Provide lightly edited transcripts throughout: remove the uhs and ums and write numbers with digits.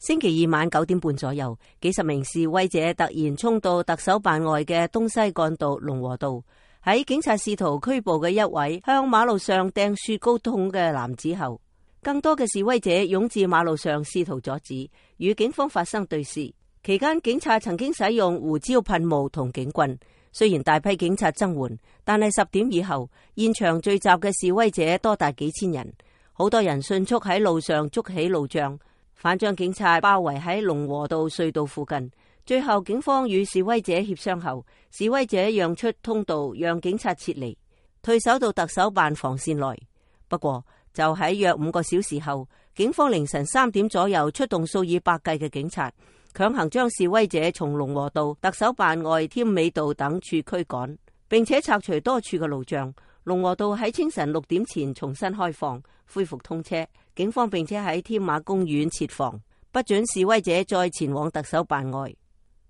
星期二晚9點半左右，幾十名示威者突然衝到特首辦外嘅東西幹道龍和道，喺警察試圖拘捕嘅一位向馬路上掟雪糕筒嘅男子後，更多嘅示威者湧至馬路上試圖阻止，與警方發生對峙。期間警察曾經使用胡椒噴霧同警棍，雖然大批警察增援，但係10點以後，現場聚集嘅示威者多達幾千人，好多人迅速喺路上築起路障，反將警察包圍喺龍和道隧道附近。最後警方與示威者協商後，示威者讓出通道，讓警察撤離，退守到特首辦防線內。不過就喺約5個小時後，警方凌晨3點左右出動數以百計嘅警察，強行將示威者從龍和道、特首辦外添美道等處驅趕，並且拆除多處嘅路障。龍和道喺清晨6點前重新開放，恢復通車。警方並且喺添馬公園設防，不准示威者再前往特首辦外。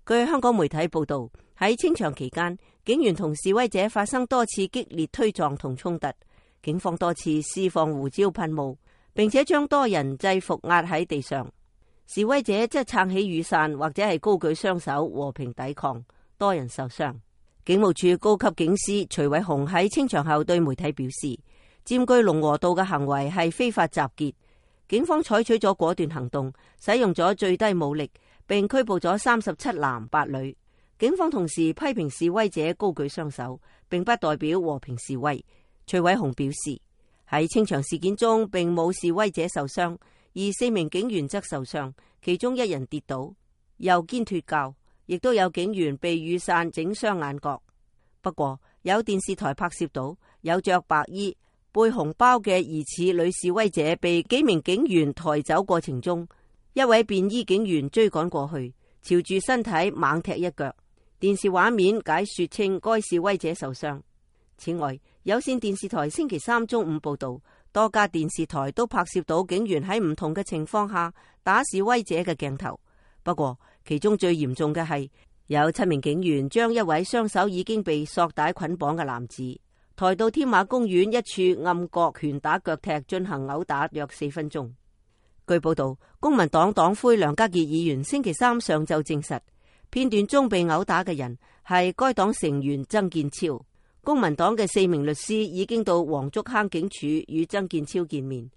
據香港媒體報道，喺清場期間，警員同示威者發生多次激烈推撞同衝突，警方多次施放胡椒噴霧，並且將多人制服壓喺地上。示威者則撐起雨傘或者係高舉雙手和平抵抗，多人受傷。警務處高級警司徐偉雄喺清場後對媒體表示，佔據龍和道嘅行為係非法集結，警方採取咗果斷行動，使用咗最低武力，並拘捕咗37男8女。警方同時批評示威者高舉雙手，並不代表和平示威。徐偉雄表示，喺清場事件中並冇示威者受傷，而4名警員則受傷，其中1人跌倒，右肩脫臼，亦都有警員被雨傘整傷眼角。不過有電視台拍攝到有着白衣背紅包嘅疑似女示威者被幾名警員抬走過程中，一位便衣警員追趕過去，朝住身體猛踢一腳。電視畫面解說稱該示威者受傷。此外，有線電視台星期3中午報道，多家電視台都拍攝到警員喺唔同嘅情況下打示威者嘅鏡頭。不過其中最嚴重嘅係有7名警員將一位雙手已經被索帶捆綁嘅男子抬到添馬公園一處暗角拳打腳踢進行毆打約4分鐘。據報道，公民黨黨魁梁家傑議員星期3上晝證實，片段中被毆打嘅人係該黨成員曾健超。公民黨嘅4名律師已經到黃竹坑警署與曾健超見面，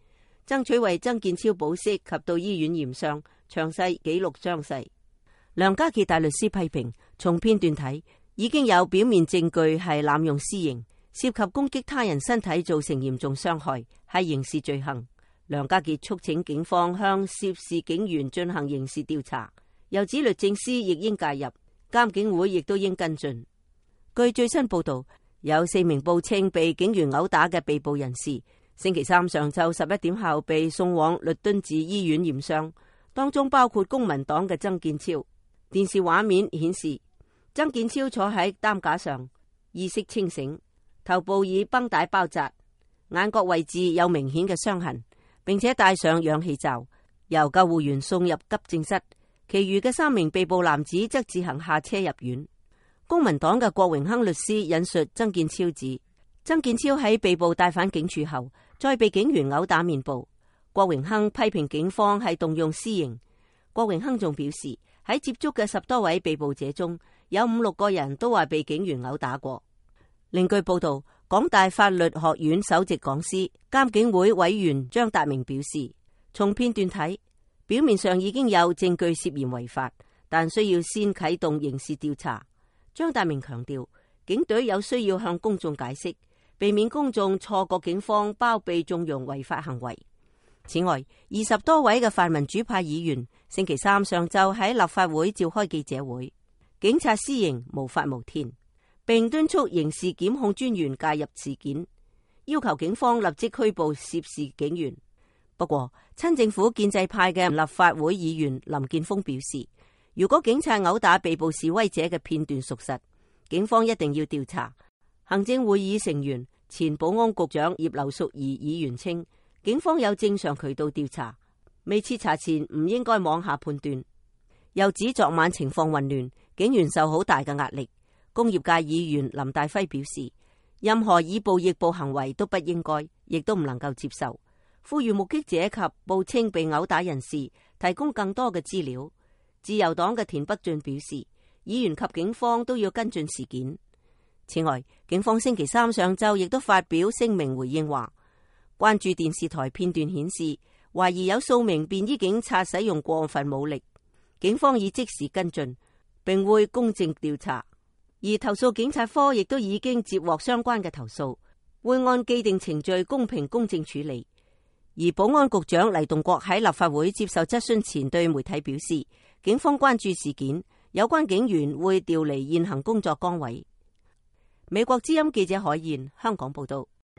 爭取為曾健超保釋及到醫院驗傷，詳細記錄傷勢。梁家傑大律師批評，從片段睇，已經有表面證據係濫用私刑，涉及攻擊他人身體造成嚴重傷害，係刑事罪行。梁家傑促請警方向涉事警員進行刑事調查，又指律政司亦應介入，監警會亦都應跟進。據最新報道，有4名報稱被警員毆打嘅被捕人士，星期3上晝11點後被送往律敦治醫院驗傷，當中包括公民黨嘅曾健超。電視畫面顯示，曾健超坐喺擔架上，意識清醒，頭部以繃帶包紮，眼角位置有明顯嘅傷痕，並且戴上氧氣罩，由救護員送入急症室。其餘嘅3名被捕男子則自行下車入院。公民黨嘅郭榮鏗律師引述曾健超指，曾健超喺被捕帶返警署後，再被警員毆打面部。郭榮鏗批評警方係動用私刑。郭榮鏗仲表示，喺接觸嘅10多位被捕者中，有5、6個人都話被警員毆打過。另據報道，港大法律學院首席講師、監警會委員張達明表示，從片段睇，表面上已經有證據涉嫌違法，但需要先啟動刑事調查。張達明強調，警隊有需要向公眾解釋，避免公眾錯覺警方包庇縱容違法行為。此外，20多位嘅泛民主派議員星期3上晝喺立法會召開記者會，警察私刑無法無天，並敦促刑事檢控專員介入事件，要求警方立即拘捕涉事警員。不過，親政府建制派嘅立法會議員林健鋒表示，如果警察毆打被捕示威者嘅片段屬實，警方一定要調查。行政會議成員、前保安局長葉劉淑儀議員稱，警方有正常渠道調查，未徹查前唔應該妄下判斷。又指昨晚情況混亂，警員受好大嘅壓力。工業界議員林大輝表示，任何以暴易暴行為都不應該，亦都唔能夠接受。呼籲目擊者及報稱被毆打人士提供更多嘅資料。自由黨嘅田北俊表示，議員及警方都要跟進事件。此外，警方星期三上晝亦都發表聲明回應話，關注電視台片段顯示，懷疑有數名便衣警察使用過分武力，警方已即時跟進，並會公正調查。而投訴警察科亦都已經接獲相關嘅投訴，會按既定程序公平公正處理。而保安局長黎棟國喺立法會接受質詢前對媒體表示，警方關注事件，有關警員會調離現行工作崗位。美國之音記者海燕香港報道。